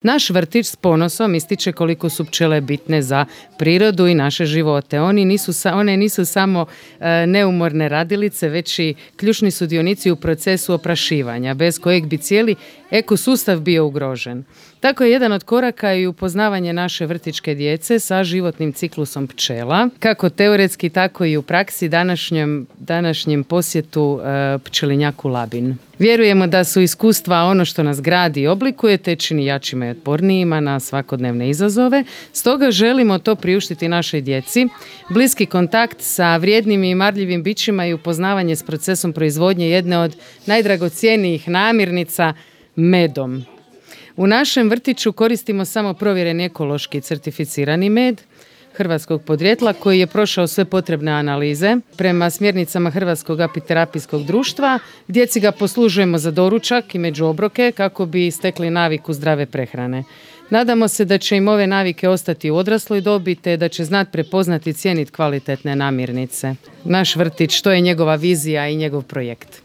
Naš vrtić s ponosom ističe koliko su pčele bitne za prirodu i naše živote. One nisu samo neumorne radilice, već i ključni sudionici u procesu oprašivanja, bez kojeg bi cijeli ekosustav bio ugrožen. Tako je jedan od koraka i upoznavanje naše vrtićke djece sa životnim ciklusom pčela, kako teoretski, tako i u praksi današnjem posjetu pčelinjaku Labin. Vjerujemo da su iskustva ono što nas gradi i oblikuje, te čini jačima i otpornijima na svakodnevne izazove. Stoga želimo to priuštiti našoj djeci. Bliski kontakt sa vrijednim i marljivim bićima i upoznavanje s procesom proizvodnje jedne od najdragocjenijih namirnica, medom. U našem vrtiću koristimo samo provjereni ekološki certificirani med hrvatskog podrijetla koji je prošao sve potrebne analize prema smjernicama Hrvatskog apiterapijskog društva. Djeci ga poslužujemo za doručak i među obroke kako bi stekli naviku zdrave prehrane. Nadamo se da će im ove navike ostati u odrasloj dobi te da će znati prepoznati i cijeniti kvalitetne namirnice. Naš vrtić, to je njegova vizija i njegov projekt.